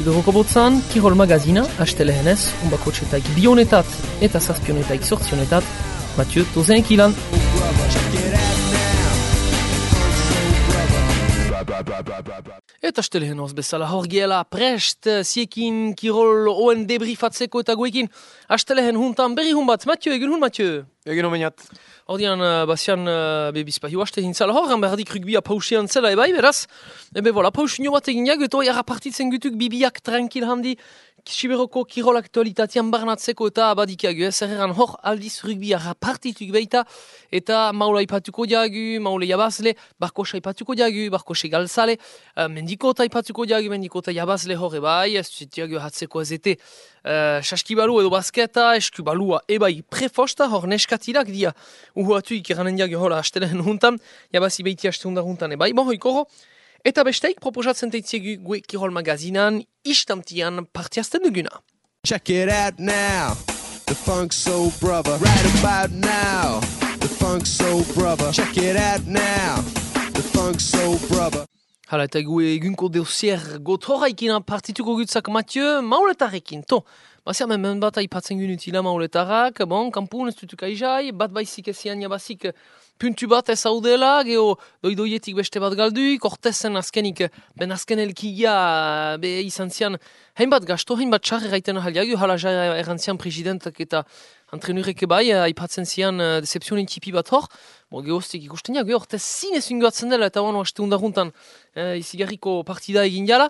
Siberoko botzan, Kirol Magazina, astelehenez, unbakotxetaik bionetat eta zazpionetaik sortzionetat, Mathieu Tozenek ilan. Eta astelehenoz bezala hor gehala prest, ziekin Kirol oen debrifatzeko eta goekin. Astelehen huntan berri hun bat, Mathieu, egin hun Mathieu? Egin omenat. Ordian, bazian, bizpahi huaste hintzala hor, berdik rugbia pausian zela ebai, beraz. Ebe, voilà, pausinio bat egin jago, eta hori partitzen gutuk bibiak tranquil handi, Siberoko Kirol aktualitatean barnatzeko eta abadikiago, zerreran hor aldiz rugbia partituk beita, eta maula ipatuko jagu, maule jabazle, barkosa ipatuko jagu, barkose galzale, mendikota ipatuko jagu, mendikota jabazle hor ebai, ez zutiago hatzeko ezete, saskibalu edo basketa, eskubalua ebai prefosta, hor neskatirak dia, uhuatu ikeranen jagu hola astelen juntan, jabazi beiti astehundar juntan ebai, bon hoikoro, eta besteik proposatzen teitziegu gue Kirol Magazinan istamtian partiazten duguna. Check it out now, the Funk Soul Brother. Right about now, the Funk Soul Brother. Check it out now, the Funk Soul Brother. Hala, eta gue egunko deusier gotoraikin partituko gutzak Mathieu, mauletarekin, to. Bazia men bat aipatzen gunutila mauletarak, bon, kampun ez dutuk aizai, bat baizik ezian jabazik puntu bat ez haudela, geho doidoietik beste bat galduik, ortezen azkenik, ben azken elkigia be izan zian, hainbat gasto, hainbat txarre gaiten ahaliago, hala jara errantzian presidentak eta antrenurek bai, aipatzen zian decepzionin tipi bat hor, gehoztik ikusten jago, ortez zinez ungoatzen dela, eta wano haste undaruntan izigarriko partida egin jala.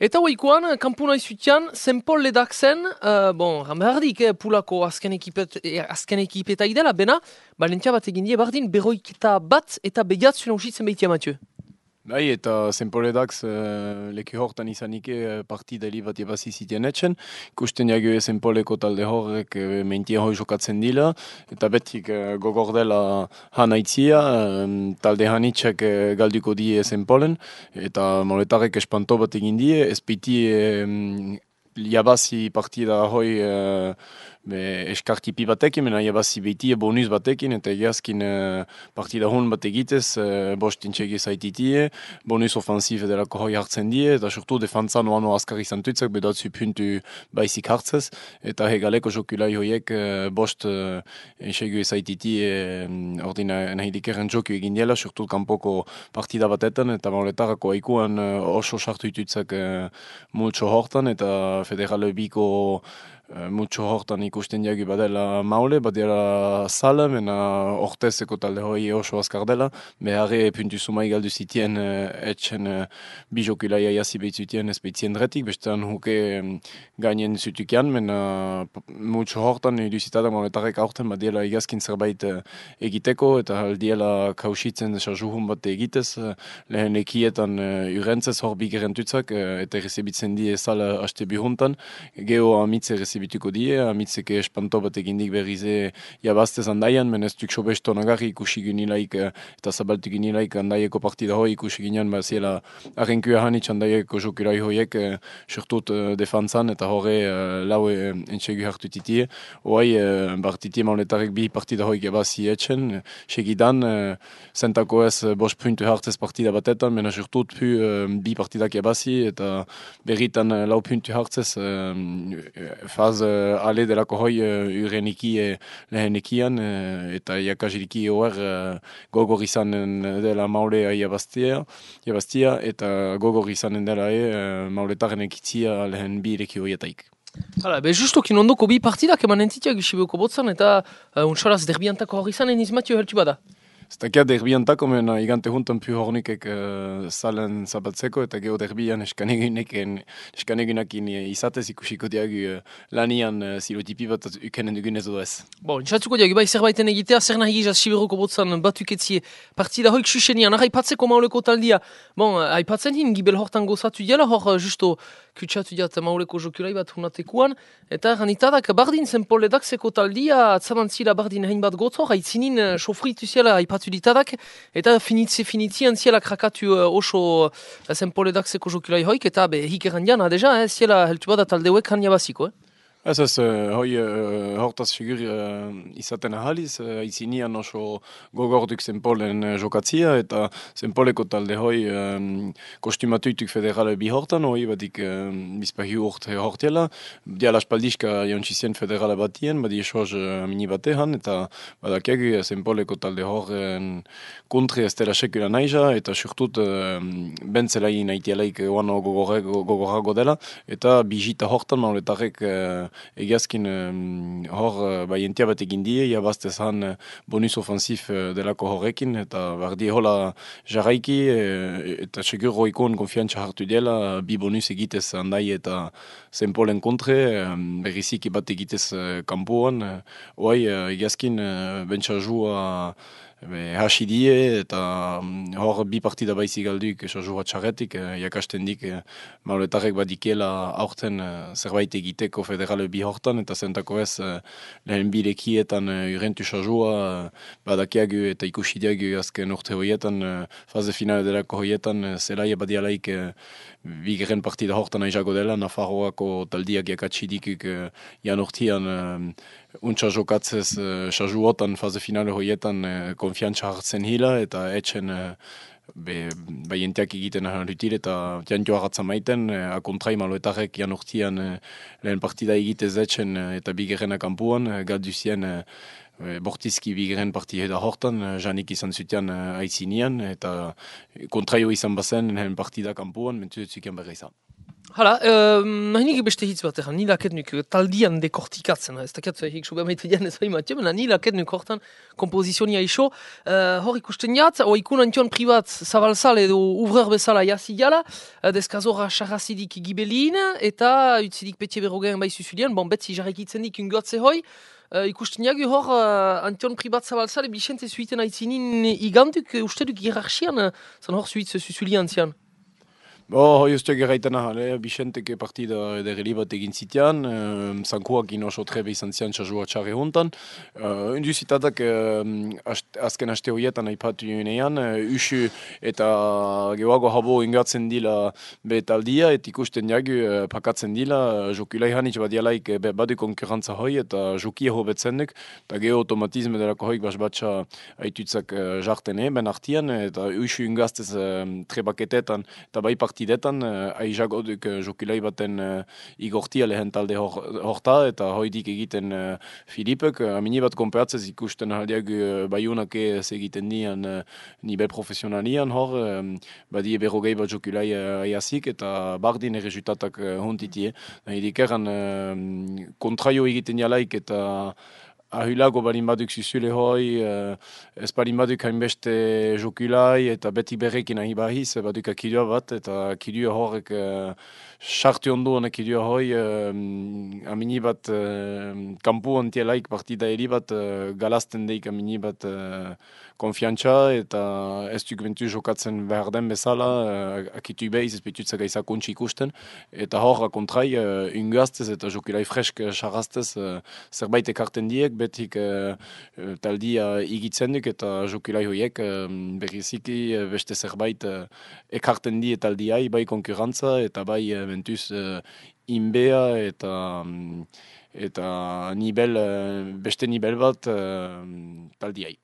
Eta hoikoan, kampuna izutian, Saint-Paul ledak zen, ramberdik, pulako azken ekipeta idela, bena, balentia bat egin die, bardin, berroiketa bat eta begiatzen hausitzen behitia, Mathieu. Bai, eta Saint-Paul leku hortan izanike partida bat ebazi zitean etxen. Ikusten jago Saint-Pauleko talde horrek mentien hoi jokatzen dila, eta betik gogor dela hanaitzia, talde hanitxek galduko die Saint-Paulen, eta moletarek espanto bat egin die, ez piti jabazi partida hoi eskartipi batekin, mena jabazi beti bonus batekin, eta egiazkin partida hon bat egitez, bostintxegi zaititie, bonus ofensif edelako hoi hartzen die, eta surtu defantzan oano askar izan tuitzak, bedatzu puntu baizik hartzez, eta hegaleko jokulai hoiek bost ensegu zaititie ordina nahilikeren joku egin diela, surtu kanpoko partida batetan, eta mauletarako aikuan oso sartu ituitzak multso hortan, eta federale biko multso hortan ikusten jagu badela maule, badela sala, mena ortezeko talde hoi oso azkar dela, beharre puntu sumai galdu zitien etxen bijokulaia jasi behitzutien ez behitzien dretik, bestean huke gainen zutukian, mena multso hortan iduzitadak mauletarek aurten badela igazkin zerbait egiteko, eta aldiela kausitzen sarjuhun bat egitez, lehen ekietan urentzez hor bigerentutzak, eta rezibitzen die sala haste bihuntan, geho amitze bituko die, amitzeke espanto bat egindik berrize jabaztez handaian, meneztuk sobesto nagarri ikusi ginilaik eta zabaltu ginilaik handaieko partida hoi ikusi ginean, ziela arrenkua hanitz handaieko jokurai hoiek surtut defantzan eta horre laue entxegu hartu titie. Hoai, bartitie mauletarek bi partida hoi jabazi etxen, segidan, zentako ez bos puntu hartzez partida batetan, mena surtut pu bi partidak jabazi eta berritan lau puntu hartzez faz ale delako hoi ureniki lehenekian eta jakaziriki hoer gogor izanen dela maulea jabaztia eta gogor izanen dela mauletaren ekitzia lehen bi ireki hoietaik. Hala, justokin ondoko bi partidak eman entitiak isibeko botzan eta untsalaz derbiantako hor izanen izmatio heltu bada. Ztakia derbiantako mena igante juntan pu hornikek salen zabatzeko eta geho derbian eskanegunakin izatez ikusiko diagu lanian zilotipi bat ukenen dugunez edo ez. Intxatzuko diagu bai zerbaiten egitea, zer nahi gizaz Siberoko botzan batuketzie partida hoik susenian, aipatzeko mauleko taldia. Aipatzen hin gibel hortan gozatu diala, hor justo kutsatu diat mauleko jokulai bat hunatekuan, eta ranitadak bardin Saint-Paul ledakseko taldia, atzamantzila bardin hainbat gotor, haitzinin sofritu ziela aipatu ditadak, eta finitzian ziela krakatu oso Saint-Paul ledakseko jokulai hoik, eta hikeran diana deja, ziela heltu bada taldeuek han jabaziko, Ez, hoi hortaz figur izaten ahaliz, izinian oso gogorduk zenpolen jokatzia, eta zenpoleko talde hoi kostumatuituk federale bi hortan, hoi badik bizpahi hortela, diala espaldiska jantzizien federale batien, badi esoaz mini batean, eta badakiagu zenpoleko talde horren kontre ez dela sekula naiza, eta surtut bentzelain naitialaik oano gogorago dela, eta bijita hortan mauletarek egiazkin hor baientia bat egin die, jabaztezan bonus ofensif delako horrekin, eta bardi hola jarraiki, eta segur roikon konfiantza hartu dela, bi bonus egitez handai eta zenpolen kontre, berriziki bat egitez kampuan, oai egiazkin bentsa jua hasi die, eta hor bi partida baizik galduk esajua txarretik, jakasten dik mauletarek badikela aurten zerbait egiteko federale bi hortan, eta zentako ez lehen bilekietan urentu sajua badakiagu eta ikusidiagu azken urte horietan, faze finale delako horietan, zelaia badialaik bigeren partida hortan aizago dela, Nafarroako taldiak jakatsidikuk jan urtean untsa jokatzez sajuotan faze finale horietan konfiantza hartzen hila eta etxen baientiak egiten ahalutil eta jantio agatza maiten akontrai maloetarek jan urtean lehen partida egitez etxen eta bigerena kampuan galduzien bortizki bigeren partia da hortan, janik izan zutean aitzinian, eta kontraio izan bazen lehen partida kampuan, mentuzetzuken berra izan. Hala, nahi nik beste hitz bat egan, nilaket nuk taldian dekortikatzen, ez dakiat hik sobe maite dian ez haimatio, mena nilaket nuk hortan kompozizionia iso, hor ikusten jat, ikun antion privat zabalzal edo uvreur bezala jasi jala, deskazora xarrazidik gibelin, eta utzidik petie berrogen bai zuzulian, bon betzi jarrekitzen dik ungoatze hoi, ikusten jagu hor antion privat zabalzal bixente zuiten aitzinin iganduk, uste duk hierarchian, zan hor zuitz zuzulian zian. Hoi uste geraiten ahale, Bixenteke partida ederreli bat egin zitean, zankuak oso trebe izan zian txasua txarre hontan. Undu zitatak azken aste horietan aipatu junean, usu eta gehoago habo ingatzen dila betaldia, et ikusten jagu pakatzen dila, jokulai hanitz badialaik badu konkurrentza hoi, eta jokia hobetzen duk, eta geho automatizme delako hoik basbatxa aitutzak jartene, ben artian, eta usu ingaztez trebaketetan, eta bai partidetan, aizago duk jokilai baten igortia lehen talde horta, eta hoidik egiten Filipek, amini bat konperatzez ikusten aldiak baiunak ez egiten nian nivel profesionalian hor, badie berrogei bat jokilai aiazik, eta bardin errezutatak hontitie. Hidik eran kontraio egiten jalaik, eta ahulago balin baduk zuzule hoi, ez balin baduk hainbeste jokulai eta beti berrekin ahi bahiz, baduk akidua bat, eta akidua horrek sartu onduan akidua hoi, amini bat kampu ontielaik partida eri bat galazten deik amini bat konfiantza, eta ez duk bentu jokatzen behar den bezala, akitu behiz ez betutzak aizakontsi ikusten, eta horra kontrai unguaztez eta jokulai fresk sarraztez zerbait ekarten diek, betik taldia igitzen duk eta jokulai hoiek berriziki beste zerbait ekarten die taldiai, bai konkurrentza eta bai bentuz inbea eta beste nivel bat taldiai.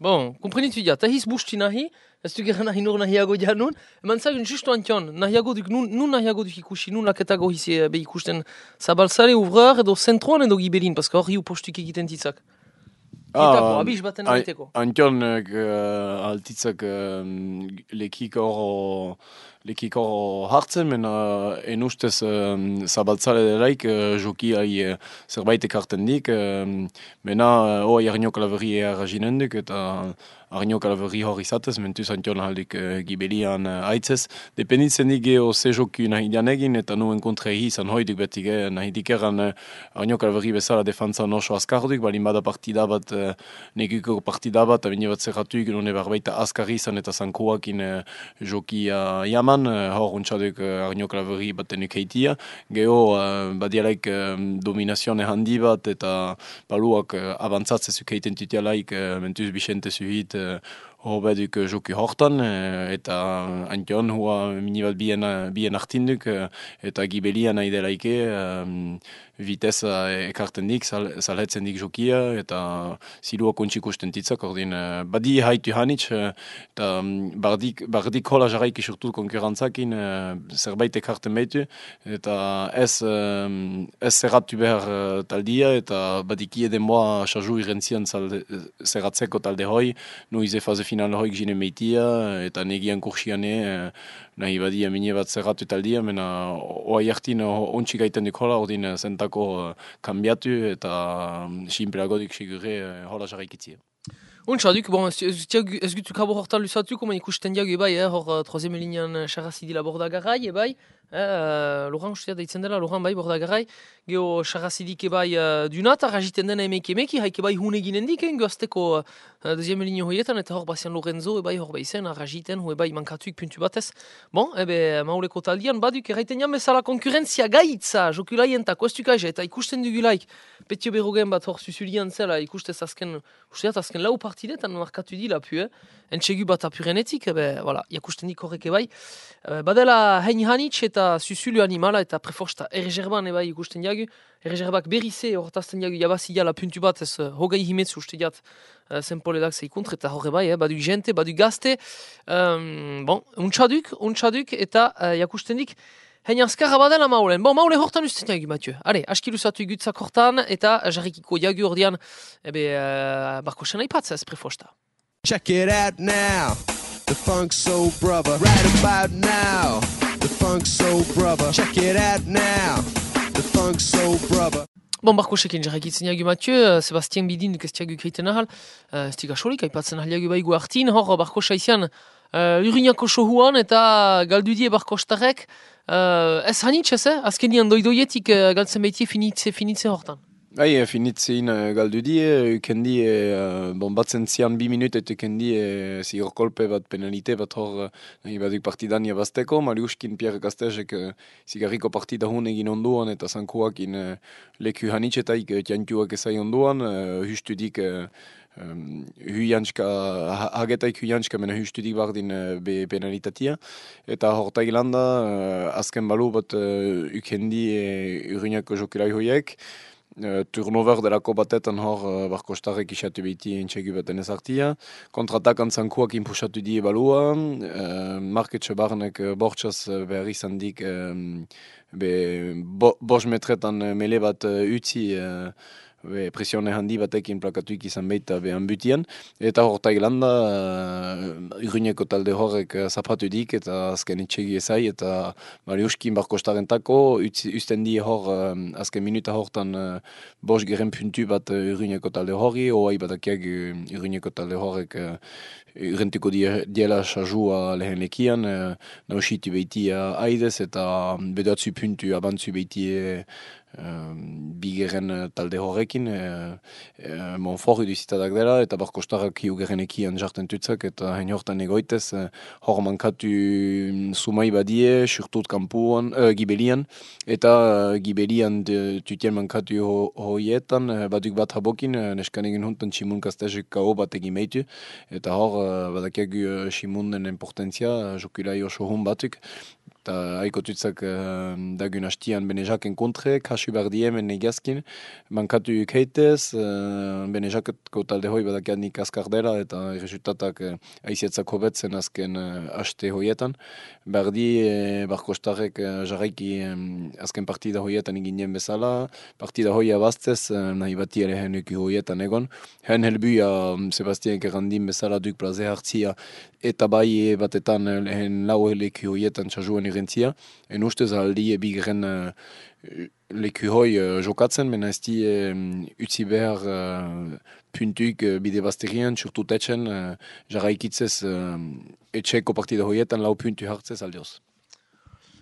Bon, komprenitu ja, tahiz busti nahi, ez du gera nahi nur nahiago janun, eman zagun justu antion, nahiago duk, nun nahiago duk ikusi, nun laketago hizi be ikusten zabalzare uvreur edo zentroan edo gibelin, paska hori postuk egiten titzak. Abiz baten egiteko. Antion altitzak lekiko hartzen, mena enustez zabaltzale delaik jokiai zerbait ekarten dik, mena hoa jarnio kalaveri erraginen duk, eta Arnio Kalaverri hor izatez, mentuz antion aldik gibelian aitzez. Dependitzen dik geho ze joku nahi dian egin, eta nuen kontra izan hoiduk betik, nahi dikeran Arnio Kalaverri bezala defantzan oso azkarduk, balin bada partida bat, neguko partida bat, abine bat zerratuik, nune barbaita azkar izan eta zankoakin jokia jaman, hor untsaduk Arnio Kalaverri batenuk heitia. Geho badialaik dominazione handi bat, eta baluak abantzatzezuk heiten tutialaik, mentuz Bixente zuhit, Hobeduk joki hortan, eta antion hua minibat bien artinduk, eta gibelian nahi delaike, viteza ekarten dik, salhetzen dik jokia, eta zilua kontxik usten titzak, ordin, badi haitu hanitz, eta bardik hola jarraik isurtu konkurrentzakin, zerbait ekarten behitu, eta ez zerratu behar taldia, eta badiki edenboa sarju irentzian zerratzeko talde hoi, nuize faze final hoik jine meitia, eta negian kursiane, nahi badi amine bat zerratu taldia, mena oa jartin ontsi gaiten duk hola, ordin zentako kambiatu, eta simpleagodik sigurre hola jarraikitzia. Untxaduk, bon, ez gutu kabo hortan lusatu, koman ikusten diagu ebai, hor troisième linean charrazidila bordagarrai, ebai, Laurent ustea daitzen dela, Laurent bai bordagarrai, geho charrazidik ebai dunat, arrajiten dena emeki, haik ebai hune ginen dik, gazteko deuxième ligne hoietan, eta hor bazian Lorenzo ebai hor baizen, arrajiten, hu ebai mankatuik puntu batez. Bon, ebe, mauleko taldian, baduk, erraiten jan bezala konkurrentzia gaitza, jokulaien-tak, oestukaje, eta ikusten dugulaik, petio berrogen bat hor susulian zela, ikustez azken lau partidetan markatu di lapu, entxegu bat apurenetik, voilà, jakusten dik horrek ebai. Badela hein hanitz eta susulu animala eta preforsta erreserban ebai ikusten diagu. Erreserbak berrize hortazten diagu jabazila puntu bat ez hogei himetzu uste diat zenpoledak zeikuntre eta horre bai, badu jente, badu gazte. Bon, untxaduk eta jakusten dik hein azkarra badela maulen. Bon, maule hortan usten diagu, Mathieu. Hale, askiluzatu gutzak hortan eta jarrikiko diagu ordean barko sena ipatza ez preforsta. Check it out now, the Funk Soul Brother. Right about now, the Funk Soul Brother. Check it out now, the Funk Soul Brother. Bon, barko sekin jarrakitzen diagu Mathieu, Sebastien Bidin duk ez diagu kreiten ahal, ez diga solik, aipatzen ahal diagu baigu hartin, hor barko saizian Luriñako sohuan eta galdudie barko starek, ez hanitz ez, azkenian doidoietik galtzen baitie finitze hortan. Bai, finitzein galdudie, ukendie, batzen zian 2 minut eta ukendie zigorkolpe bat penalite bat hor baduk partidan jabazteko, Mariuskin Pierre Gaztezek zigarriko partida hun egin onduan eta zankuakin leku hanitzetaik tiantuak ezai onduan, hustudik hagetaik huiantska mena hustudik bardin be penalitatia, eta horta ilanda azken balu bat ukendie Urruñako jokulai hoiek, turnover delako batetan hor barko starrek isatu behiti entxegu baten ezartia. Kontratakan zankuak inpusatu die balua, marketxe barnek bortxaz behar izan dik bos metretan mele bat utzi presione handi batekin plakatuik izan behita behan butian. Eta horta ilanda Urruñeko talde horrek zapatu dik eta azken itxegi ezai eta Mariuskin barko starrentako usten die hor azken minuta hortan bos geren puntu bat Urruñeko talde horri, oai batakiak Urruñeko talde horrek urrentuko diela sajua lehen lekian, nausitu behitia aidez eta bedatzu puntu abantzu behitie bigeren talde horrekin, Monfort iduzitadak dela, eta barko starrak hiugeren ekian jarten tutzak, eta hein hortan egoitez, hor mankatu sumai badie, surtut kampuan, gibelian, eta gibelian tutien mankatu hoietan, baduk bat habokin, neskan egin huntan Simun Kastezek kao bat egin meitu, eta hor badakiagu Simunen importantzia, jokulai oso hun batuk, eta haiko tutzak dagun hastian Benejaken kontre, kasu bardie men egazkin, mankatu keitez, Benejaketko talde hoi badakianik askar dela, eta resultatak aizetzak hobetzen azken haste hoietan. Bardi, barko starrek jarraiki azken partida hoietan eginen bezala, partida hoia bastez, nahi bati ere henuki hoietan egon. Hen helbuia Sebastien Kerandin bezala duk plaze hartzia, eta bai batetan lehen lau leku hoietan txasuen irentzia. En ustez aldi bigren leku hoi jokatzen, mena ez di utzi behar puntuik bide basterian, surtu tetxen, jarraikitzez etxeko partida hoietan lau puntu hartzez aldioz.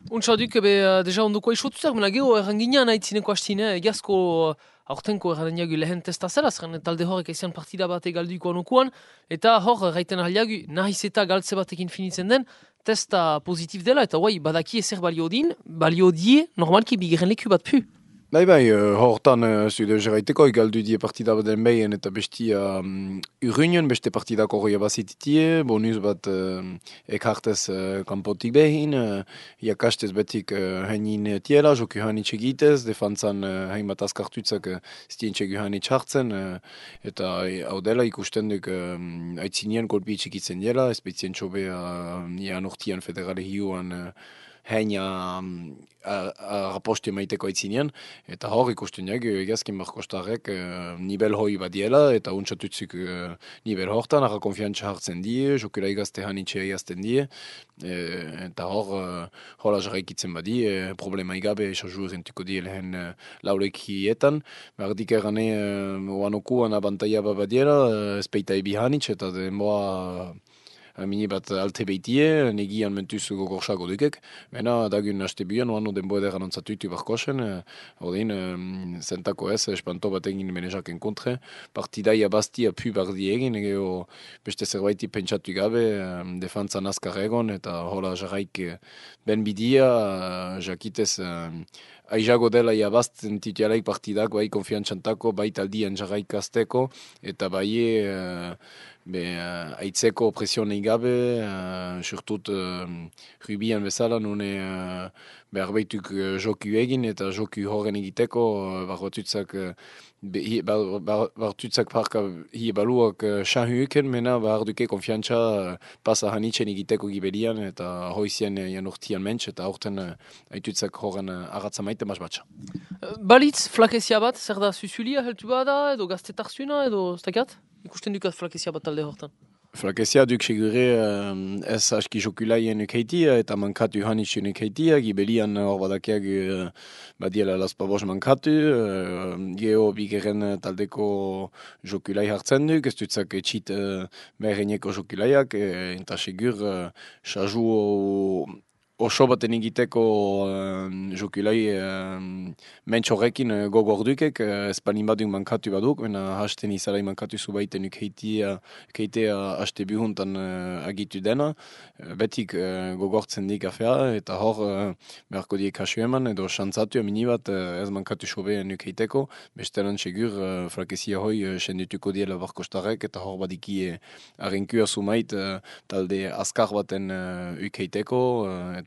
Untxaduk, deja ondoko isotuzak, mena geho erranginean haitzineko hastine, egazko aurtenko errandiagu lehen testa zela, zeren talde horrek ezian partida bat egalduiko anokuan, eta hor gaiten ahaliagu nahiz eta galtze batekin finitzen den, testa pozitif dela, eta badaki ezer balio die, normalki bigeren leku bat pu. Bai, hortan zude jarraiteko galdu die partida bat den behien eta bestia urruinen beste partidako goia bazititie, bonus bat ekartez kanpotik behin, jakastez betik heinin tiela, joku hanitz egitez, defantzan hain bat azkartutzak stientxe guhanitz hartzen, eta hau dela ikusten duk aitzinien golpi itxikitzen dela, espezien txobea nian urtian federale hiuan heina raposte maiteko aitzinean, eta hor ikusten egazkin Markostarrek nivel hoi badiela, eta untsatutzuk nivel hortan, arra konfiantza hartzen die, jokela igazte hanitxe egazten die, eta hor hola jarraikitzen badi, problema igabe esaju erentuko die lehen laulekietan, berdik erane oanokuan abantaia badiela, espeita ebi hanitxe, eta denboa mini bat alte behitie, negian mentuz gogorxago dukek. Bena, dagun haste bian, oano denbo ederan antzatuitu barkosen, ordein, zentako ez, espanto bat egin menezaken kontre, partidaia bastia pu bardi egin, egeo beste zerbaiti pentsatu gabe, defantzan azkar egon, eta hola jarraik ben bidia, jakitez, aizago dela jabazten titialaik partidak, bai konfiantzantako, bai taldian jarraik azteko, eta bai aitzeko presionei gabe, surtut rubian bezala, nune behar behituk joku egin, eta joku horren egiteko, bartutzak parka hie baluak xahuuken, mena behar duke konfiantza pasa hanitzen egiteko gibelian, eta hoizien janurtian mentz, eta horten aitutzak horren agatza maite maz batxa. Balitz, flakezia bat, zer da susulia heltu bada, edo gaztetarzuna, edo stakat? Ikusten dukat flakezia bat talde hortan. Flakezia duk segure ez aski jokulaien ukeitia eta mankatu hanitxun ukeitia, gibelian hor badakeag badiela laspabos mankatu, geho bigeren taldeko jokulai hartzen duk, ez dutzak etxit bereneko jokulaiak, eta segur saju oso baten egiteko jokulai mentx horrekin gogor dukek, espanin baduk mankatu baduk, mena hasten izalai mankatu zubaiten ukeitea haste bihuntan agitu dena, betik gogortzen dik afea, eta hor beharko diek hasu eman, edo xantzatu amini bat ez mankatu sobean ukeiteko, bestelan segur frakezia hoi sendituko diela Barkostarrek, eta hor badiki arrenkua sumait talde askar baten ukeiteko,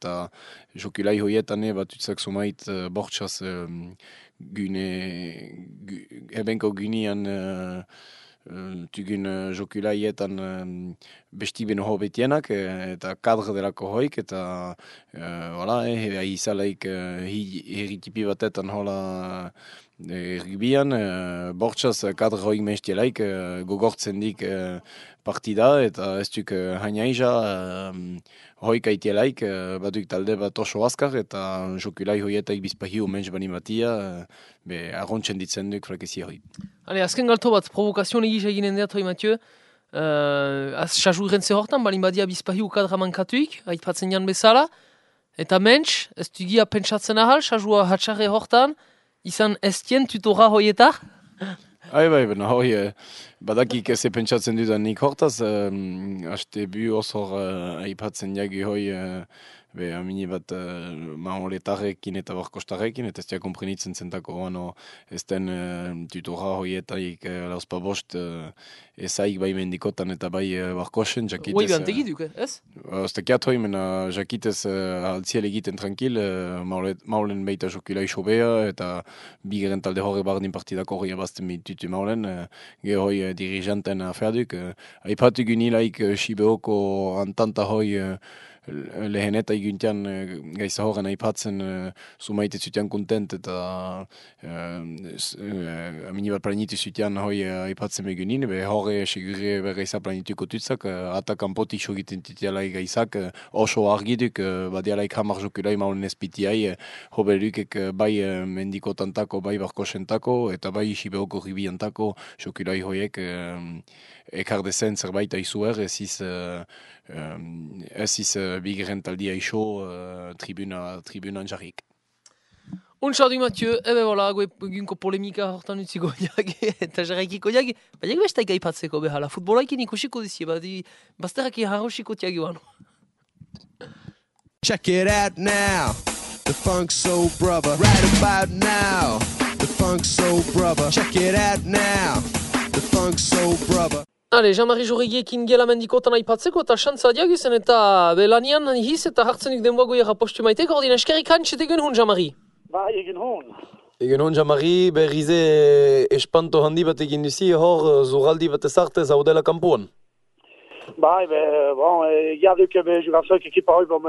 eta jokulai hoietan batutzak sumait bortxaz ebenko gynian tugun jokulaietan besti beno hobetienak, eta kadre delako hoik, eta izalaik herritipi batetan hola ergibian, bortxaz kadre hoik mestielaik gogortzen dik partida, eta ez duk hainaiza hoik aitielaik, baduk talde bat oso azkar, eta jokulai hoietaik bizpahiu mentz bani batia, arrontzen ditzen duk frakezia hoi. Azken galto bat, provokazion egiz eginen dut, hoi Mathieu, xasu irentze hortan, balin badia bizpahiu kadra mankatuik, aipatzen jan bezala, eta mentz, ez dugia pentsatzen ahal, xasua hatxarre hortan, izan estien tutora hoietar? Bai, bena hoi, badakik ez pentsatzen dudan nik hortaz, haste bu osor aipatzen jagi hoi, amini bat maholetarrekin eta Barkostarrekin, eta ez dia komprenitzen zentako oano ez den tutora hoietaik lauspa bost ezaik bai mendikotan eta bai Barkosen, jakitez... Hoi behan tegiduk, ez? Ostekiat hoi, mena jakitez altziel egiten tranquil, maulen beita jokulai sobea, eta bigeren talde horre bardin partidako hori abazten bitutu maulen, hoi dirijanten aferduk. Aipatu gynilaik Sibeoko antanta hoi leheneta iguntian gaiza horren aipatzen sumaite zutian kontent, eta aminibat planitu zutian hoi aipatzen begunin, horre segure gaiza planituko tutzak, atakan potik sogiten titialai gaizak, oso argiduk, badialaik hamar jokulai maulen espitiai, hobelukek bai mendikotantako, bai Barkosentako, eta bai Sibeoko ribiantako jokulai hoiek ekardezen zerbait aizuer, ez iz bigeren taldia iso tribunan jarrik. Untxardu Mathieu, ebe bola, gunko polemika hortan utziko jage, eta jarraikiko jage, badiak bestaik aipatzeko behala, futbolaikin ikusiko dizie, bazteraki harrosiko tiagi wano. Check it out now. the Funk Soul Brother. Right about now, the Funk Soul Brother. Check it out now, the Funk Soul Brother. Ale, Jean-Marie Jorrigiekin gela mendikotan aipatzeko eta xantza diaguzen eta belanian hiz eta hartzenik denboagoiera postu maiteko, ordin eskerrik hantxetek hun, Jean-Marie. Bai, egin hon. Egen hon, Jean-Marie, berrize espanto handi bat egin duzi, hor zurraldi bat ezartez haudela kampuan. Bai, bon, egia duk jugazoik ekipa hoi, bon,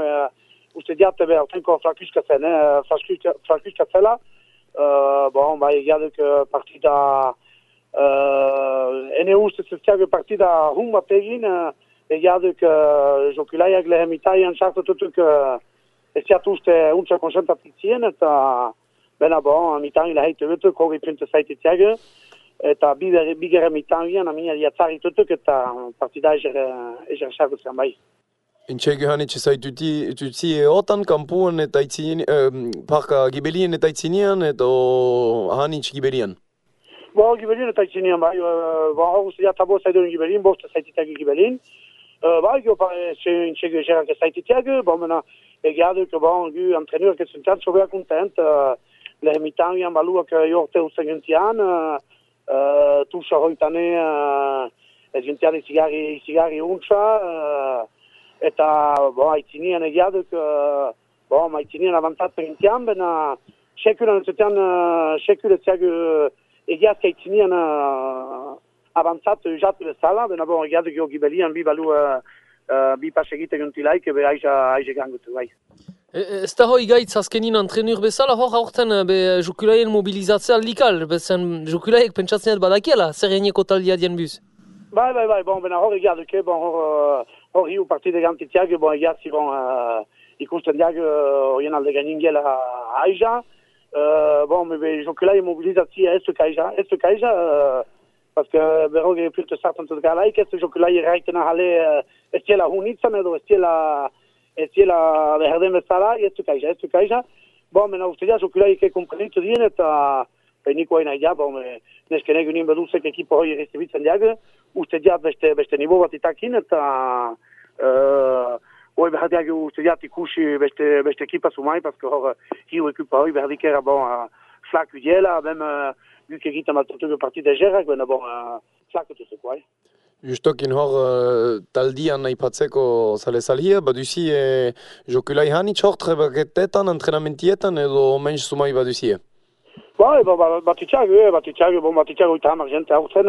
uste diat, tenko flakuskatzen, flakuskatzela. Bon, bai, egia duk partida, ene uste zezkiago partida hun bat egin, egia duk jokulaiak lehen mitaian sartututuk ez diat uste untsa konsentratik zien, eta bena bon, mitan leheitu dutuk, hori puntu zaititiago. Eta bigere mitangian, amina diatzari tutuk eta partida eger sartutzen bai. Intxege hanitxe zaituti otan kampuan eta parka gibelien eta itzinean, eta hanitxe gibelian? Bo, gibelien eta itzinean bai, hor uste diatabo zaiduen gibelien, boste zaititiak gibelien. Bai, intxege egerak zaititiak, bon, mena, egiaduk, bon, gu antreneur kesuntian, sobea kontent, lehen mitangian baluak jorte ustenguntian, tusa hoitane ezgintian izigari untsa, eta haitzinean egiaduk, haitzinean avantatzen gintian, bena sekuran entzutean, sekuretziak egiazka haitzinean avantzatu jatu bezala, bena egiaduk jo gibelian bi balu bi pas egiten gintilaik, ebe aize gangutu bai. Ez da hoi gaitz azkenin antrenur bezala, hor aurten jokulaien mobilizatzea likal, bezen jokulaiek pentsatzen badakiela, zer enieko taldia dien buz? Bai, bon, bena hor egiaduke, bon, hor hiu partide gantitiak, bon, egiazi, bon, ikusten diag, horien alde gainingela aiza, bon, jokulaien mobilizatzea ez duk aiza, paske berroge purte sartantut galaik, ez jokulaien raitena jale ez diela hunitzen edo ez diela beherden bezala, ez duk aiza. Bon, mena uste dia, jokulaik komprenitu dien eta niko hain aia, bon, neskenek unien beduzek ekipo hoi errezibitzen diag, uste dia beste nibo bat itakin eta hoi behar diag uste dia ikusi beste ekipa sumai, paske hor hiu ekipa hoi behar dikera, bon, flaku diela, bem guk egiten bat partide gerak, bena bon, flaku tuzeko, Justokin hor taldian aipatzeko zale-zalia, baduzi jokulai hanitz hor trebaketetan, entrenamentietan edo menys sumai baduzie? Bai, batitxago eta hamar jente hautzen,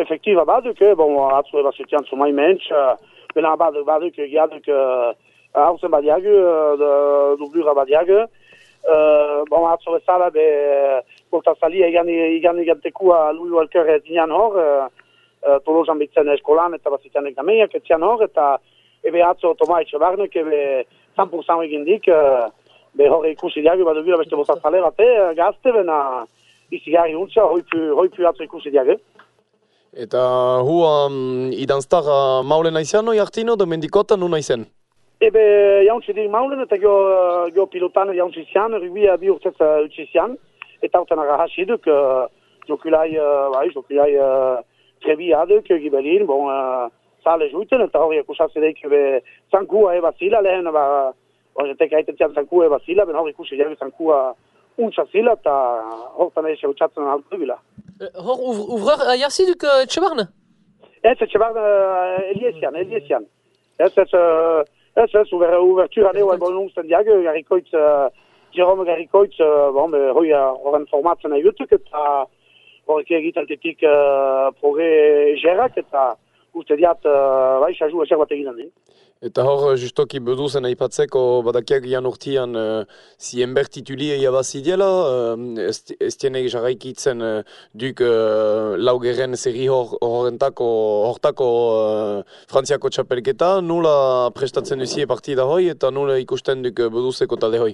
efektiva baduk, atzu ebazutian sumai menys, bena baduk egiaduk hautzen badiagu, dublura badiagu, atzu bezala, portazalia igan tekua luio alker zinean hor, Tolosan bitzen eskolan eta bazitean egamiak etzian hor, eta ebe atzo otomaitxe barnek, ebe 100% egindik, hori ikusi diagu, badubira beste botazale bate, gazte, bena izigari untza, hoipu atzo ikusi diagu. Eta hua idanztar maulen aizian, oi hartino, da mendikotan nu naizen? Ebe jauntzi dik maulen, eta gio pilotan jauntzi zian, rubia bi urtez utzi zian, eta horten agahasi duk, jokulai trebi aduk, gibelin, bon, sale juiten, eta hori akusatze deik zankua zila lehen, horretek haiten zian zankua zila, ben hori ikusi jari zankua untsa zila, eta hortan eixe utxatzen altu bila. Hor, uvrar aiarzi duk etxebarne? Ez, etxebarne Eliesian. Ez, uvertura neu albon ungsten diag, Jerome Garikoitz, horren formatzen nahi dutuk, eta horrek egitaltetik progre gerak, eta uste diat, xaju ezer bat egin den. Eta hor, justoki beduzen aipatzeko badakiak ian urtian zienber titulia iabazidiela, ez tienek jarraikitzen duk laugeren zerri hortako Frantziako txapelketa, nula prestatzen duzie partida hoi eta nula ikusten duk beduzeko talde hoi?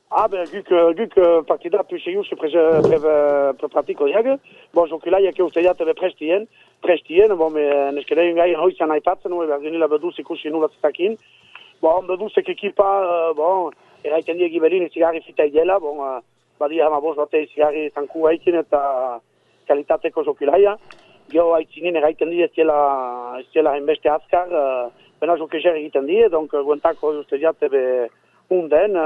Guk partida puxeius pratiko diag, jokulaiak uste diat prestien, neskedein gai hoizan aipatzen, berdinila beduz ikusi nula zitakin. Beduzek ekipa, eraiten diegi berin izigari fita idela, badia hamaboz bate izigari zanku haikin eta kalitateko jokulaia. Geo haitzinin eraiten di ez diela hainbeste azkar, bena jokezer egiten die, guentako uste diat hunden,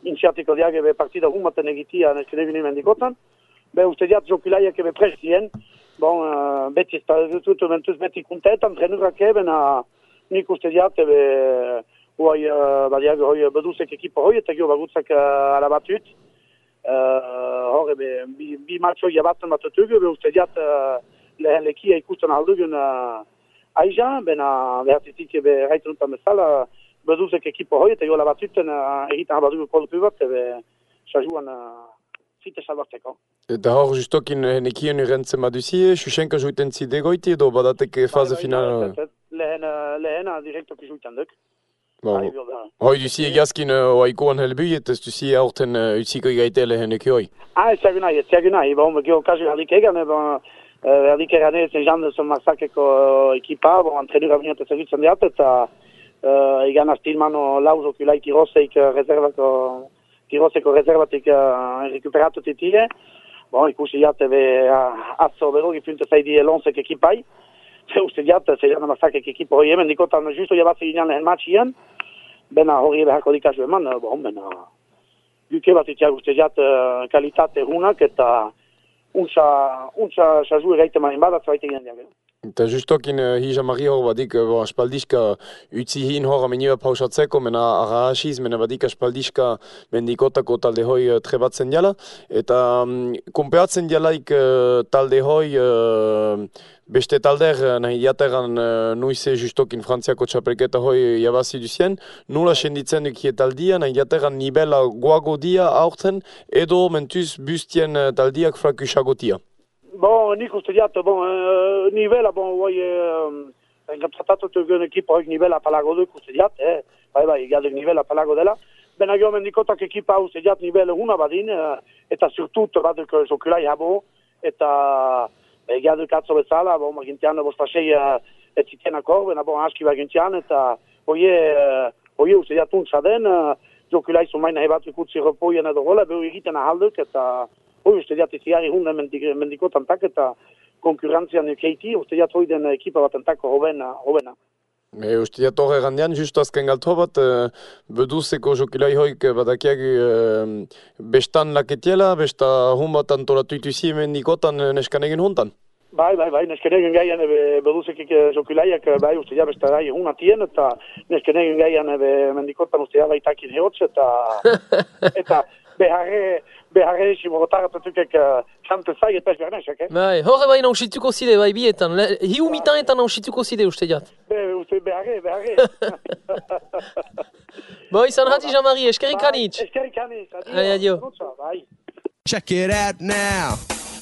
intxeatiko diag ebe partida humaten egitia nesken egin mendikotan. Uste diat jokilaiak ebe prestien. Beti ez dut mentuz beti kuntetan, trenurak ebena nik uste diat ebe badiag beduzek ekipo hoi, eta gio bagutzak alabatut. Hor ebe bi matxoi abatzen batutuk, uste diat lehen lekia ikusten aldugun aiza, bena behartitik ebe raitunutan bezala, beduzek ekipo hoi, eta gio alabatuten egiten abadugu kolpi bat, ebe sajuan zite salbatzeko. Eta hor justokin nekien urrentzen baduzie, Xuxenka juiten zidegoiti edo badateke faze final? Lehena direktoki juiten duk. Hoi duzi egazkin oaikoan helbui, eta ez duzi aurten utziko egaite lehenek hoi? Ez ziagun nahi. Gio kasu herdik egan, herdik egan ezen jandezen marsakeko ekipa, antrenura binete zerbitzen diat, eta egan astilmano lauzok ulai Kiroseko rezervatik rekuperatu titire. Ikusi jat atzo berogi funte zaidi elonsek ekipai. Uste jat, zeidan amasakek ekipa hori hemen dikotan justo jabatze ginen lehen matxien. Bena hori beharko dikazu eman, bena duke bat itiak uste jat kalitate hunak eta untsa sazu egaite marin badat zaite ginen diak. Eta justokin hijamari hor badik aspaldiska utzi hin hor ameniba pausatzeko, mena arahasiz, mena badik aspaldiska mendikotako talde hoi trebatzen diala. Eta konpeatzen dialaik talde hoi beste talder nahi jateran nuize justokin Frantziako txapelketa hoi jabazi duzien. Nula senditzen dukie taldia, nahi jateran nibela guago dia aurten, edo mentuz bustien taldiak frakusagotia. Nik uste diat, nivela, engatratatu tugen ekipa hoik nivela palago duk uste diat, gadek nivela palago dela. Bena gio mendikotak ekipa uste diat nivela huna badin, eta surtut baduk jokulai habo, eta gadek atzo bezala, gintian bostasei etzitienako, bena aski bagintian, eta hoie uste diat untsa den, jokulai zumaina hebatuk utzi repoien edo gola, behu egiten ahalduk, eta uste diat iziari hunden mendikotan tak eta konkurrentzian keiti, uste diat hoi den ekipa bat entako hobena. Uste diat horre gandian, justu azken galto bat, beduzeko jokilai hoik badakiagu bestan laketiela, besta hun bat antolatu ituzi mendikotan neskan egin hontan? Bai, nesken egin gaian beduzek jokilaiak, uste diat besta gai hun atien, eta nesken egin gaian mendikotan uste diat baitakin heotz, eta beharre simorotaratetukek kante zai eta ez behar nesek, Bai, horre bai nausituko zide, bai bietan, hiu mitan eta nausituko zide uste diat. Uste beharre. Bai, izan hati Jean-Marie, eskerik anitz. Eskerik anitz, adio. Check it out now,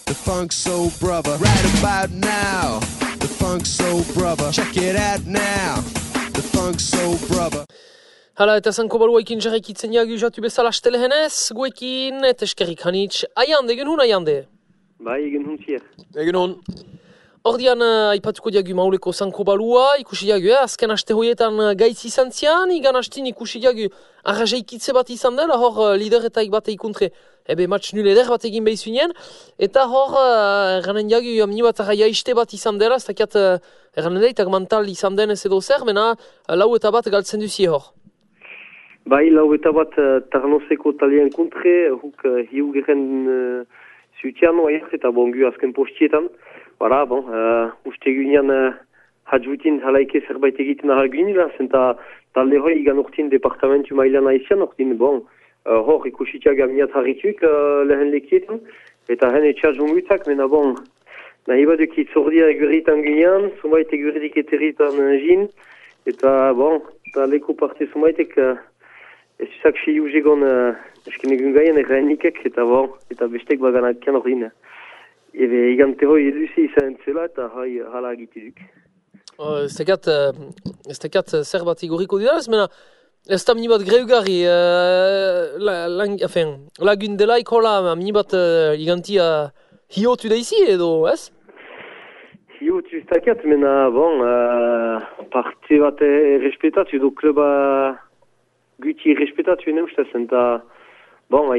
the Funk Soul Brother. Right about now, the Funk Soul Brother. Check it out now, the Funk Soul Brother. Hala, eta zanko baluaikin jarraikitzen jagu jatu bezala stelehenez, guekin, eta eskerrik hanitz. Aiande, egin hun aiande? Bai, egin hun zier. Egin hun. Ordian, aipatuko diagu mauleko zanko balua, ikusi diagu, azken aste hoietan gaitz izan zian, igan hastin ikusi diagu arrazeikitze bat izan dela, hor lideretaik bat eikuntre, match nul eder bat egin behizunien, eta hor, erranen diagu, amni bat arraiaiste bat izan dela, ez dakiat, erranen daitak mental izan denez edo zer, mena lau eta bat galtzen duzie hor. Bai, lau eta bat Tarnoseko talien kontre, huk hiu geren zutian oaiak eta bongu azken postietan. Bara, uste guinean hadjutin halaike zerbait egiten ahal guinila, zenta talde hoi igan urtin departamentu mailan aizian urtin, hor ikusitiak amniat harrituik lehen lekietan, eta hen etxar jungutak, mena nahi baduk itzordia egurritan guinean, sumait egurrik eteritan jin, eta eta leko parte sumaitek ez zuzak si ugegon esken egun gaien errainikek, eta bestek baganak kian ordin. Ebe igante hoi eduzi izan entzela eta hala agitiduk. Ez tekat zer bat igoriko didalaz, mena ez da mini bat greugarri lagun delaik hola mini bat igantia hiotu da izi edo, ez? Hiotu ez takat, mena parte bat respetatu edo kluba guti respetatu ene ustez, eta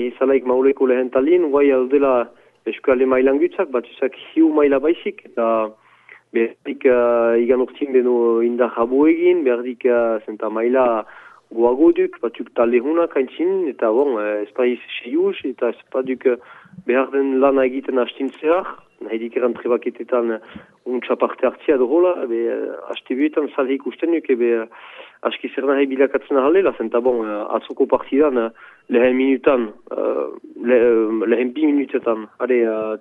izalaik mauleko lehen talin, guai aldela eskale mailan gutzak, bat uzak hiu maila baizik, eta berdik igan urtin beno indar habo egin, berdik zenta maila goago duk, batzuk taldehunak haintzin, eta bon, ez paiz seius, eta ez paduk behar den lana egiten hastintzeak, nahi dikeran trebaketetan untsa parte hartzia dohola, haste buetan salhe ikusten duk, aski zer nahi bilakatzen ahalela, zenta bon, atzoko partidan lehen minutan, lehen 2 minutetan,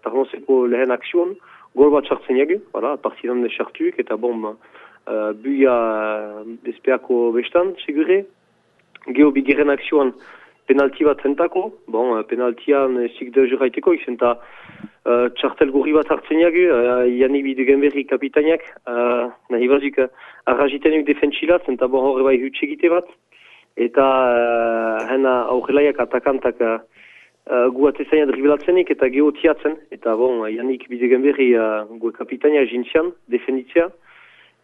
tarnozeko lehen akzion, gol bat sartzen jagu, partidan de sartuik, eta bon, buia bezpeako bestan, segure, geho bigeren akzioan penalti bat zentako, bon, penaltian zik de juraiteko, izenta txartel gorri bat hartzen jagu, Yannick Bidegenberri kapitainak, nahi bazik arrazitenik defentsilat, zenta bon horre bai hutsegite bat, eta hena aurrelaiak atakantak guatezaina dribilatzenik eta geho tiatzen, eta bon, Yannick Bidegenberri gue kapitainak jintzian, defenditzea,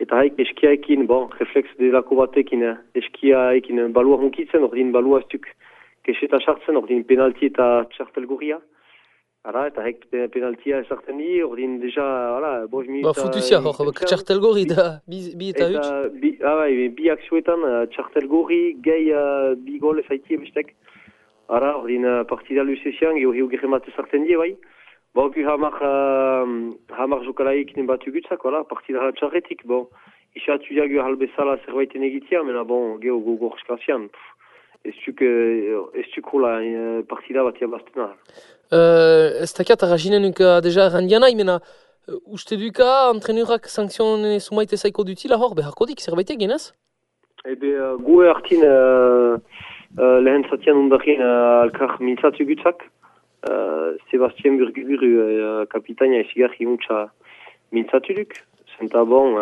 eta haik eskiaekin, bon, refleks delako batekin, eskiaekin balua hunkitzen, ordin balua ez duk keseta sartzen, ordin penalti eta txartel gorria. Eta haik penaltia esartzen di, ordin deja, bost minuta... Futuzia hor, txartel gorri da, bi eta huts. Bi akzioetan, txartel gorri, gehi bi gol ezaitie bestek. Ordin partida luzezian, geho gerremat esartzen di, bai. Gu hamar jokalaik batu gutzak, partida txarretik, isatu jagu halbezala zerbaiten egitea, mena geho gogorskazian. Ez duk hola partida bat jabaztena. Ez dakiat arrazinen deja randianai, mena uste duka antrenurak sankzion sumaite zaiko dutila hor, beharko dik zerbait egin ez? Gu hartin lehen zatian undarin alkar mintzatu gutzak, Sebastien Burguburu kapitaina ezigarri untsa mintzatu duk. Zenta bon,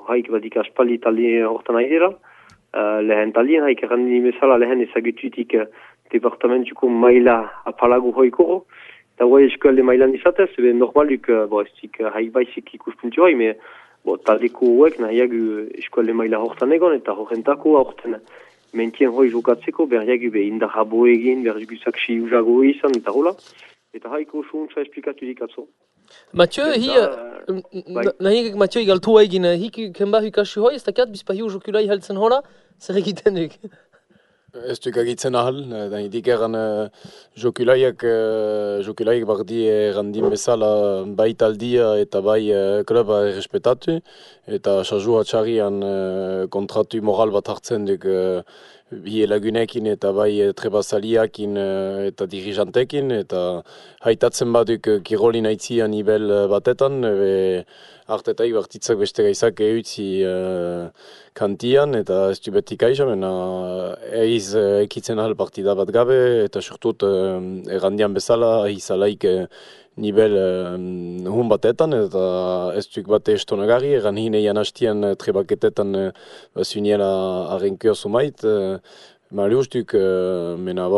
haik badik aspaldi talde hortan aidera. Lehen talien haik errandini bezala lehen ezagututik departamentuko maila apalago hoikoro. Eta guai eskualde mailan izatez, normaluk ez dik haik baizik ikuspuntu hoi, taldeko huek nahiagu eskualde maila hortan egon, eta horrentako horten mentien hoi jokatzeko, berriagu indarra bo egin, berriaguzak siuzago izan, eta hola. Eta haiko suuntza esplikatu dikatzo. Mathieu, nahiek Mathieu igaltua egin, hik kenba hukasu hoi, ez dakiat bizpahiu jokulai haltzen hola, zer egiten duk? Ez duk agitzen ahal, nahidik eran jokulaiak bardi errandin bezala bai taldia eta bai kluba errespetatu, eta sajua txarian kontratu moral bat hartzen duk bi lagunekin eta bai trebasaliakin eta dirijantekin, eta haitatzen baduk kirolin aitzian ibel batetan, hartetaik bartitzak beste gaizak eutzi kantian, eta ez du betik aiza, mena eiz ekitzen ahal partida bat gabe, eta surtut errandian bezala aizalaik nivel hun batetan, eta ez duk bate estonagari, erran hineian hastian trebaketetan zuniela arrenkio sumait, mali ustuk, mena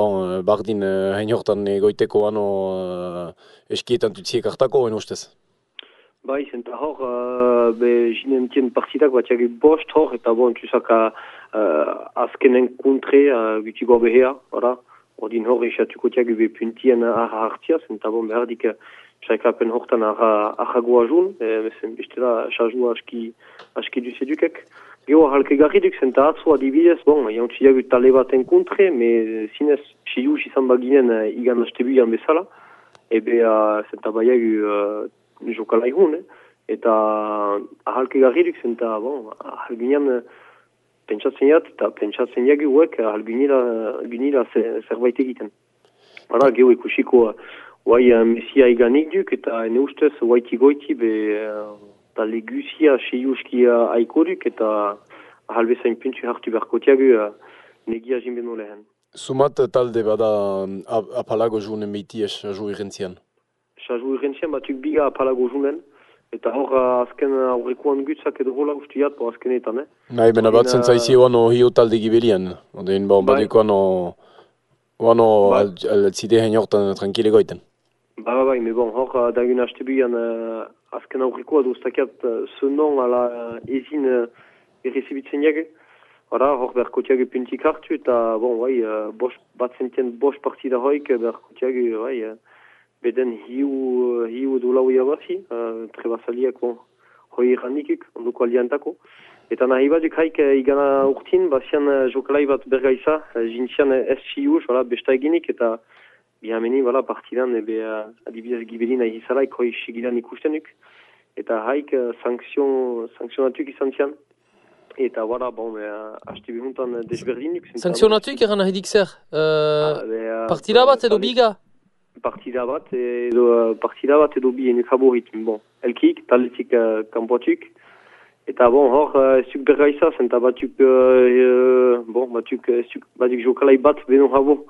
bardin hain hortan egoiteko ano eskietan tutziek hartako, en ustez. Bai, zenta hor, jinentien partidak bat jagi bost hor, eta txusaka azkenen kontre gutigo behea, ordin hor isatuko tiagu puntien arra hartzia, zenta behar dik saikapen hortan arra goa jun, bestela sajua aski duzedukek. Geho halke garri duk, zenta atzo adibidez, jantzi jagu tale baten kontre, me zinez sius izan baginen igan astebuian bezala, zenta baiagu jokalai hun, eta ahalke garri duk, zenta ahalginean pentsatzen jat, eta pentsatzen jagu huek ahalginila zerbait egiten. Geho ikusiko mesia iganik duk, eta ene ustez huaiti goiti talde guzia seiuskia aiko duk, eta ahalbezain puntsu hartu berkotiagu negia jinbeno lehen. Sumat talde bada apalago junen beiti saju irrentzian? Saju irrentzian batuk biga apalago junen, eta hor azken aurrekoan gutzak edo hola ustiat po azkenetan, Nahi, bena batzen zaizi oano hiu talde gibelian, odein badiko oano altzide hein hortan tranquile goiten. Bai, me hor dagun hastebuian azken aurrekoa duztakiat zenon ala ezin errezibitzen jagu. Hor berkotiagu puntik hartu, eta bat zentien bost partida hoik berkotiagu beden hiu dolau jabazi, trebasaliak hoi errandikuk, onduko aliantako. Eta nahi baduk haik igana urtin, bazian jokalai bat bergaiza, jintzian SCU, besta eginik, eta bihameni, partidan, adibidez gibelin nahi izalaik, hoi sigilan ikustenuk, eta haik sankzionatuk izan zian. Eta haste behuntan desberdinuk. Sankzionatuk eran nahi dik zer? Partida bat edo biga? Partida bat edo bi ene favorit. Elkik, taletik kanpoatuk. Eta hor, zuk bergaiza, zenta batuk jokalai bat beno habo.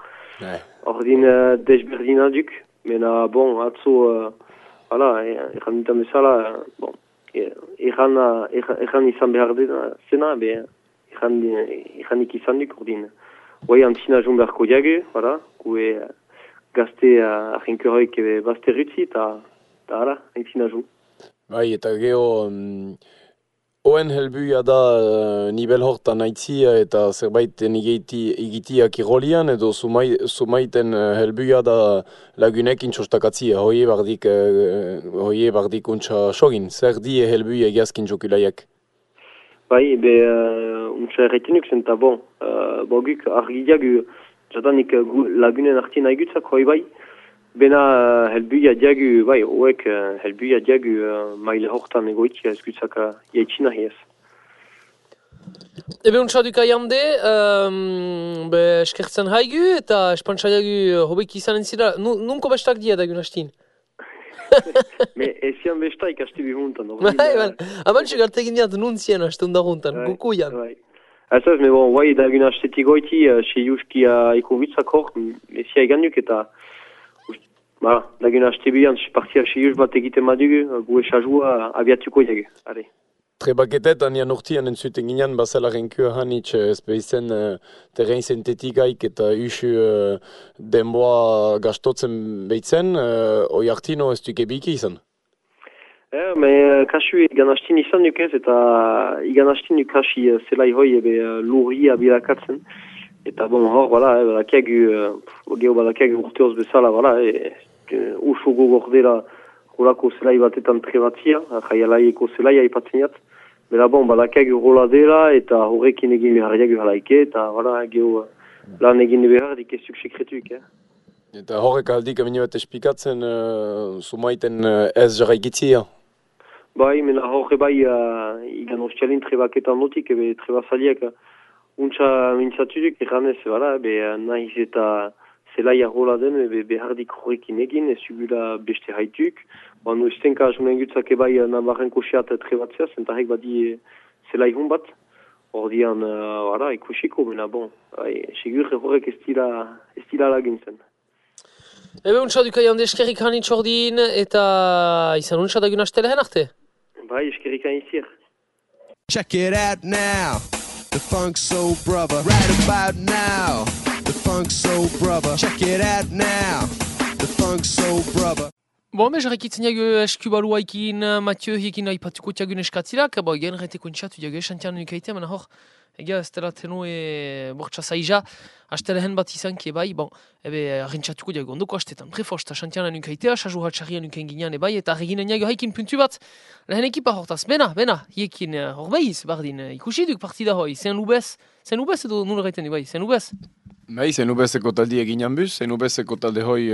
Hor din desberdinaduk. Mena, atzo, eran dintan bezala, Eran izan behar dena, zena, eranik izan duk, ordin. Guai antzina joan beharko diagu, gue gazte ahinkeroik bazte rutzi, eta antzina joan. Bai, eta geho, oen helbuia da nivel hortan aitzia eta zerbait igitiak irolian, edo sumaiten helbuia da lagunekin txostakatzia, hoie bardik untsa sogin. Zer die helbuia egiazkin jokulaiak? Bai, untsa erretenuk zenta boguk argidiagu jadanik lagunen artien aigutzak hoi bai, bena helbuia diagu, hoek helbuia diagu maile hortan egoitia ezkutzak jaitsina hiez. Ebe untsaduka jande, eskertzen haigu eta espantzaiagu hobek izanen zira, nunko bestak dia dagun hastin? Me ezian bestak haste bihuntan. Abantxuk artegin diat nuntzien hastun daguntan, gukuian. Ez, guai dagun hastetik goiti, seiuski ikovitzak hor, ezia eganduk eta dagun haste bihan, partia seius bat egiten madugu, gu esazua abiatuko diagu. Trebaketetan jan urtian entzuten ginen, bazela renkua hanitz ezpeizen terrein sintetikaik eta usu denboa gastotzen behitzen, oi hartino ez duke biki izan? Kasu igan hastin izan duk ez, eta igan hastin duk hasi zelai hoi lurri abilakatzen. Eta hor, badakiagu urteoz bezala, usu gogordela horako zelai batetan trebatzia, jaialaieko zelai aipatzen jat. Bera badakiagu rola dela eta horrekin egin beharriagu halaike, eta lan egin behar dikezduk sekretuik. Eta horrek aldik amini bat espikatzen sumaiten ez jarraikitzia? Bai, mena horre igan ostialin trebaketan notik, trebazaliak untsa mintzatuduk erranez, nahiz eta zelaia rola den, behardik horrekin egin, ez zugula beste haituk. Nu estenka azunen gutzak nabarren koseat trebatzea, zentarek badi zelai hon bat. Ordian, ikusiko, mena segur horrek ez dira laguntzen. Ebe untsaduka jande eskerrik hanitz ordin, eta izan untsadugun astele arte? Bai, eskerrik hanitzier. Check it out now, the Funk Soul Brother. Right about now, the Funk Soul Brother. Check it out now, the Funk Soul Brother. Jarrakitzen jago eskubaluaikin, Mathieu hiekin aipatuko tiagun eskatzilak, gen reteko intxatu jago esantian unikaitea, mena hor, egia ez dela tenue bortsa zaija, astelehen bat izanki rentxatuko jago ondoko astetan, prefosta santian unikaitea, saju hatxarrian uken ginean eta reginen jago haikin puntu bat, lehen ekipa hortaz, bena, hiekin horbeiz, bardin, ikusiduk partida hoi, zen ubez edo nula gaiten zen ubez? Zen ubezeko taldi eginan buz, zen ubezeko talde hoi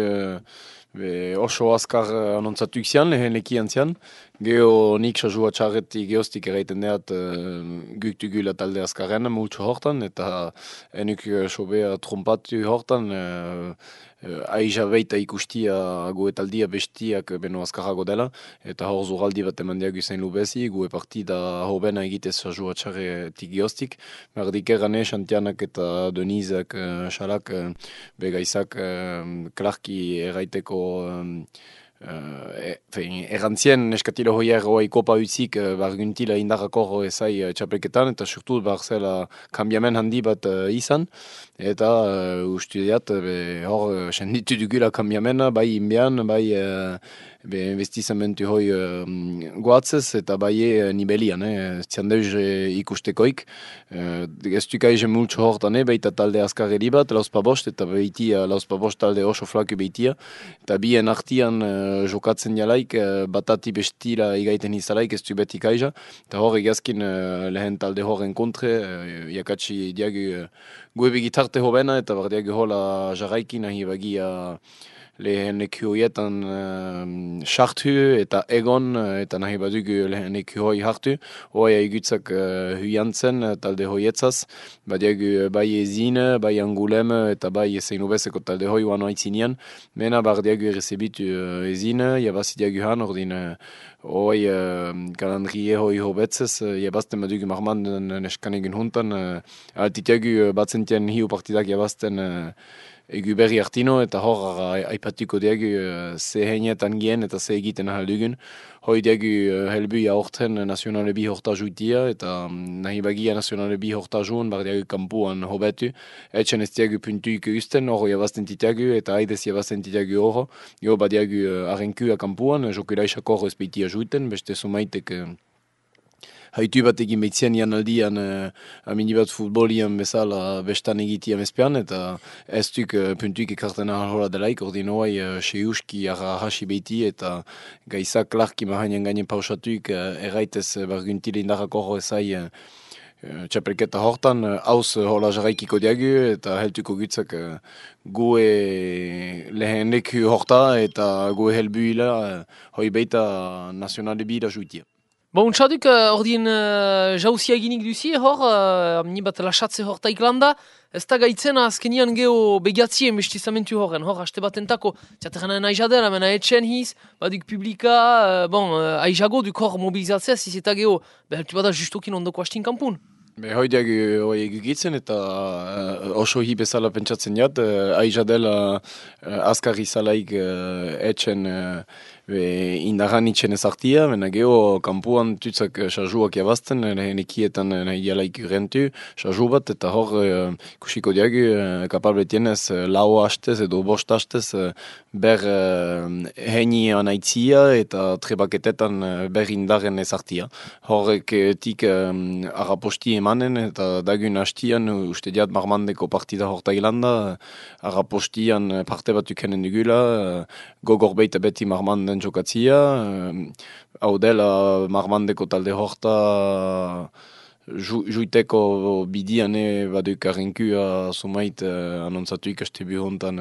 oso azkar anontzatuk zian, lehen lekian zian. Geho nik sasua txarretik geostik eraiten deat guktu talde azkarren multsu hortan, eta enuk sobea trompatu hortan, aiza beita ikustia goetaldia bestiak beno azkarrago dela, eta hor zuraldi bat eman diagu zein lubezi, goe partida hobena egitez sasua txarretik geostik. Merdik erane, Xantianak eta Denizak, Xalak, begaizak, Clarki eraiteko errantzien eskatilo hoier hoai kopa utzik barguntila indarrako ezai txapelketan eta surtu barzela kambiamen handi bat izan eta ustu diat hor senditu dugula kambiamena bai inbian, bai investizamentu hoi goatzez, eta bai nibelian, ziandeuz ikustekoik. Ez dukai multxo hortan, baita talde azkarri bat, lauzpa bost, eta baitia lauzpa bost talde oso flaku baitia. Eta bien artian jokatzen jalaik, batati bestira igaiten izalaik, ez du beti kaija. Eta hor egazkin lehen talde horren kontre, jakatsi diagu goebe gitarte hobena, eta bar diagu hola jarraikin nahi bagia lehen ekioietan sartu eta egon, eta nahi badugu lehen ekioi hartu. Hoa egutzak huiantzen talde hoietzaz, badiagu bai ezine, bai angulem, eta bai zein ubezeko talde hoi uano aitzinean. Mena bar diagu errezebitu ezine, jabazi diagu han, ordin hoi kalandrie hoi hobetzez, jabazten badugu marmanden neskanegun huntan, altitiagu batzentien hiu partidak jabazten egu berri hartino, eta hor aipatuko diagu ze heinetan gien eta ze egiten ahaldugun. Hoi diagu helbuia horten nazionale bi horta juitia, eta nahi bagia nazionale bi horta juun, bar diagu kampuan hobetu. Etxen ez diagu puntuik usten, hor jabazten titiagu, eta haidez jabazten titiagu hor. Jo badiagu arrenkua kampuan, jokira isak hor ez beitia juiten, beste sumaitek haitu bat egin behitzen janaldian aminibat futbolian bezala bestan egitian ezpean, eta ez duk puntuik ekarten ahola delaik, ordin hoai seuski hasi behiti, eta gaizak larki mahainen gainen pausatuik erraitez barguntile indarrako hor ezai txapelketa hortan, hauz hola jarraikiko diagu, eta heltuko gutzak gue lehen leku horta, eta gue helbuila hoi beita nazionale bida juitia. Bon, txaduk, ordien jauzia eginik duzi, hor, ni bat lasatze hor Taiklanda, ez da gaitzen azkenian geho begatzien bestizamentu horren, hor, haste bat entako, txaterren aizadera, mena etxen hiz, baduk publika, aizago duk hor mobilizatzea, zizeta geho, beheltu bada justokin ondoko hastin kampun. Hoi diagu egitzen eta oso hi bezala pentsatzen jat, aizadela azkarri zalaik etxen indaran itxen ezartia, mena geho kampuan tutzak sarjuak jabazten, lehen ekietan jalaik rentu, sarju bat, eta hor kusiko diagu kapabletien ez lau hastez edo bost hastez ber heini anaitzia eta trebaketetan ber indaren ezartia. Horrek tik arraposti emanen, eta dagun hastian uste diat marmandeko partida hor Tailanda, arrapostian parte bat ukenen dugula, gogor beita beti marmanden jokatzia, hau dela marmandeko talde horta juiteko bidiane baduk arrenkua sumait anontzatu ikastebu hontan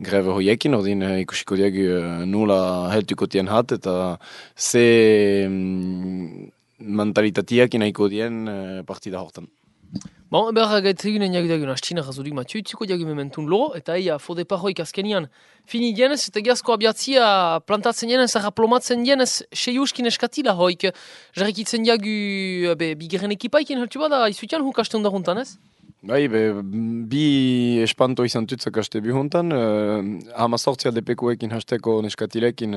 greve hoiekin, ordin ikusiko diagu nula heltuko tien hat, eta ze mentalitatiak inaiko dien partida hortan. Bon, eber gaitzegunen jagudagun hastina razudik Mathieu, itzuko diagu mementun loro, eta eia fode parroik azkenian fini dienez, eta giazko abiatzia plantatzen dienez, arraplomatzen dienez, seiuskin eskatila hoik, jarrikitzen diagu bigeren ekipaikin heltu bada, izutian hukaste hundaruntan ez? Bai, bi espanto izan tutzak haste bihuntan, hamazortzia depekuekin hasteko neskatilekin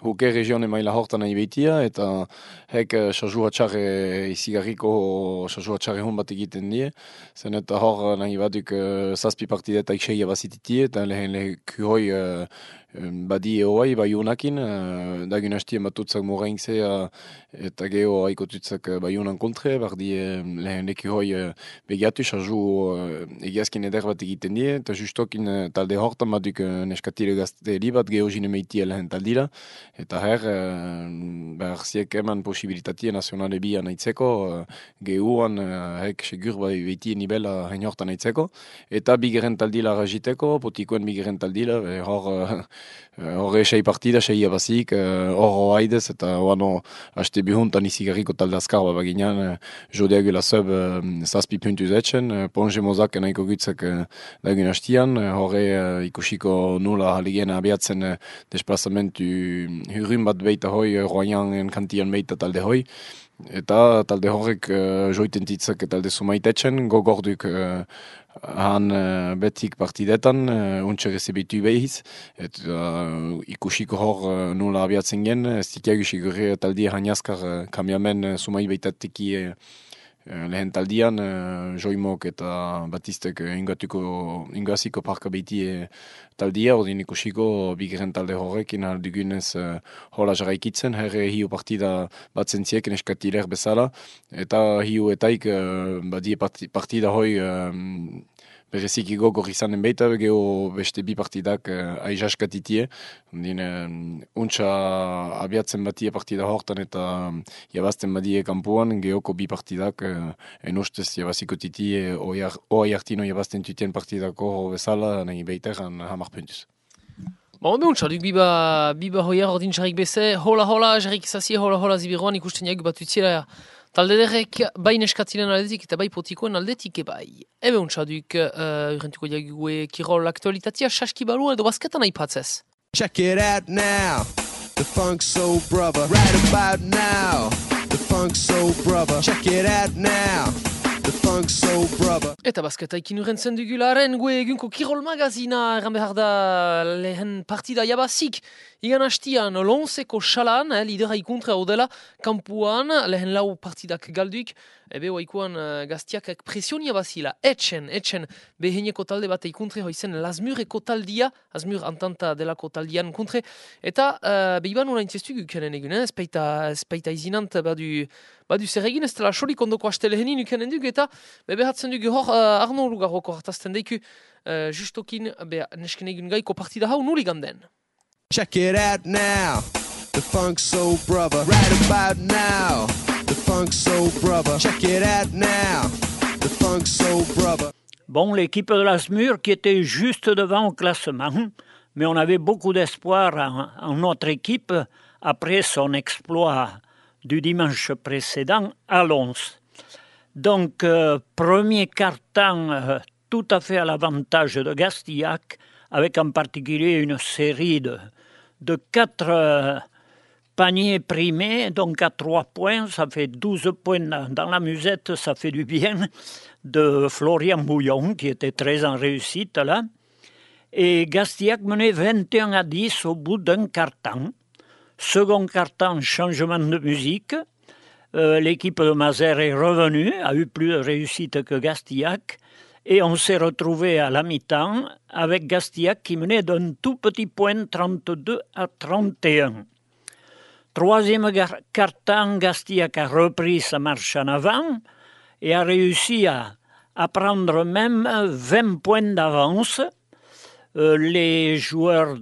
huke regione maila hortan nahi behitia, eta hek sarjua txarre izigarriko sarjua txarre hon bat egiten die, zen eta hor nahi baduk zazpi partidetaik seia bazititie, eta lehen leheku hoi badi eoai, bai honakin, dagun hastien batutzak moraintzea, eta geho haiko tutzak bai honan kontre, bardi lehen leku hoi begiatu, sarju egiazkin eder bat egiten die, eta justokin talde hortan baduk neskatile gazte bat geho jine meitia lehen taldila, eta her, ziek eman posibilitatien nazionale bi anaitzeko, gehuan hek segur bai beiti nibela hain hortan anaitzeko, eta bigeren taldila rajiteko, potikoen bigeren taldila, horre sei partida, sei abazik, horro haidez, eta oano haste bihuntan izigarriko talde azkar baginan, jodeagula sub zazpi puntu zetxen, ponge mozak nahiko gutzak dagun hastian, horre ikusiko nula haligena abiatzen desplazamentu hurun bat beita hoi, roian kantian beita talde hoi, eta talde horrek joiten titzak talde sumaitetxen, gogorduk han betik partidetan, untxe rezebitu behiz, eta ikusiko hor nula abiatzen gen, ez ditiagu sigurri taldi haniazkar kamiamen sumai beitateki lehen taldian, Joimok eta Batistek ingaziko parka behitie taldia, ordin ikusiko bigeren talde horrekin aldugunez hola jarraikitzen, herre hiu partida bat zentzieken eskatiler bezala, eta hiu etaik badie partida hoi bereziki gogor izanen baita, geho beste bi partidak aizaskatitie, untsa abiatzen batie partida hortan eta jabazten badie kampuan, gehoko bi partidak enustez jabaziko titie oai hartino jabazten tutien partidako bezala, nahi baiteran hamar puntuz. Ondo untsa, duk biba hoiar ordin jarrik beze, hola jarrik izazie, hola zibiroan ikusten jaik bat utziela talde derrek bai neskatzilen aldetik eta bai potikoen aldetik bai. Ebe untsa duk urrentuko jague kirol aktualitatea saski balu edo basketan aipatzez. Check it out now, the Funk Soul Brother. Right about now, the Funk Soul Brother. Check it out now, the Funk Soul Brother. Eta basketaikin urrentzen dugularen gue egunko kirol magazina erran behar da lehen partida jabazik. Igan hastian lonseko xalan, lidera ikontra odela, kampuan lehen lau partidak galduik, ebe oaikuan gaztiak presionia bazila, etxen, beheneko talde bat ikontre hoizen Lazmureko taldia, Lazmur antanta delako taldian kontre, eta behiban una intzestu gukenen egun, espaita izinant badu zer egin, ez dela solik ondoko haste lehenin ukenen duk, eta behatzen duk hor Arno Lugarroko hartazten deiku, justokin nesken egun gaiko partida hau nuli ganden. Check it out now, the Funk Soul Brother. Right about now, the Funk Soul Brother. Check it out now, the Funk Soul Brother. Bon, l'équipe de Lazmur qui était juste devant au classement, mais on avait beaucoup d'espoir en notre équipe après son exploit du dimanche précédent à Lons. Donc, premier quart-temps tout à fait à l'avantage de Gastillac, avec en particulier une série de 4 paniers primés, donc à 3 points, ça fait 12 points dans la musette, ça fait du bien, de Florian Bouillon, qui était très en réussite là. Et Gastillac menait 21-10 au bout d'un quart-temps. Second quart-temps, changement de musique. L'équipe de Mazères est revenue, a eu plus de réussite que Gastillac. Et on s'est retrouvé à la mi-temps avec Gastillac qui menait d'un tout petit point 32-31. Troisième quart-temps, Gastillac a repris sa marche en avant et a réussi à prendre même 20 points d'avance. Les joueurs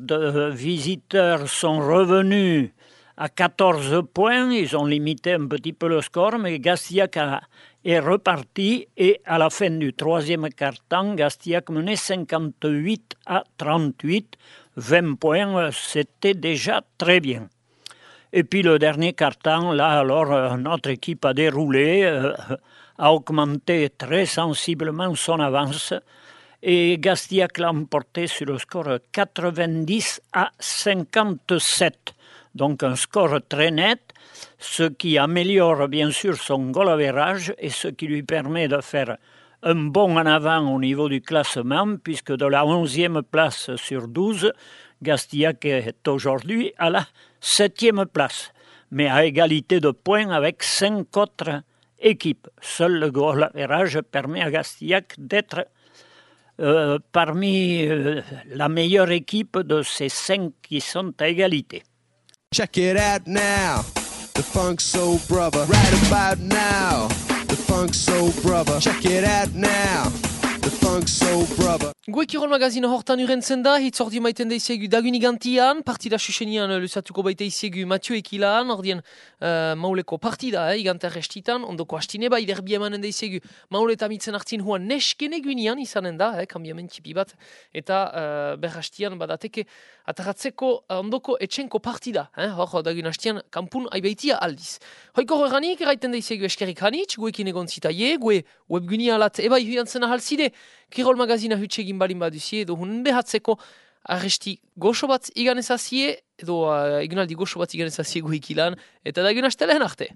visiteurs sont revenus à 14 points. Ils ont limité un petit peu le score, mais Gastillac est reparti et à la fin du troisième quart-temps, Gastillac menait 58-38, 20 points, c'était déjà très bien. Et puis le dernier quart-temps, là alors notre équipe a déroulé, a augmenté très sensiblement son avance et Gastillac l'a emporté sur le score 90-57. Donc un score très net, ce qui améliore bien sûr son goal average et ce qui lui permet de faire un bond en avant au niveau du classement, puisque de la 11e place sur 12, Gastillac est aujourd'hui à la 7e place, mais à égalité de points avec 5 autres équipes. Seul le goal average permet à Gastillac d'être parmi la meilleure équipe de ces 5 qui sont à égalité. Check it out now, the Funk Soul Brother. Right about now, the Funk Soul Brother. Check it out now, the Funk Soul Brother. Gue kirol magazina hortan urentzen da, hitzordi maiten daizegu dagunigantian, partida susenian lusatuko baita izegu Mathieu Ekilan, ordien mauleko partida, igantar restitan, ondoko hastine bai derbi emanen daizegu mauleta mitzen hartzin huan nesken egunian izanen da, kambiamen tipi bat, eta berhastian badateke ataratzeko ondoko etxenko partida, hor dagun hastian kampun aibaitia aldiz. Hoiko horreganik, eraiten daizegu eskerik hanitz, guekin egon zitaie, gue webgunia alat ebai huiantzen ahalzide, kirol magazina hutsegin balin baduzie, edo hunen behatzeko arresti goxo bat iganezazie, edo egunaldi goxo bat iganezazie guikilan, eta da egun hastelen arte.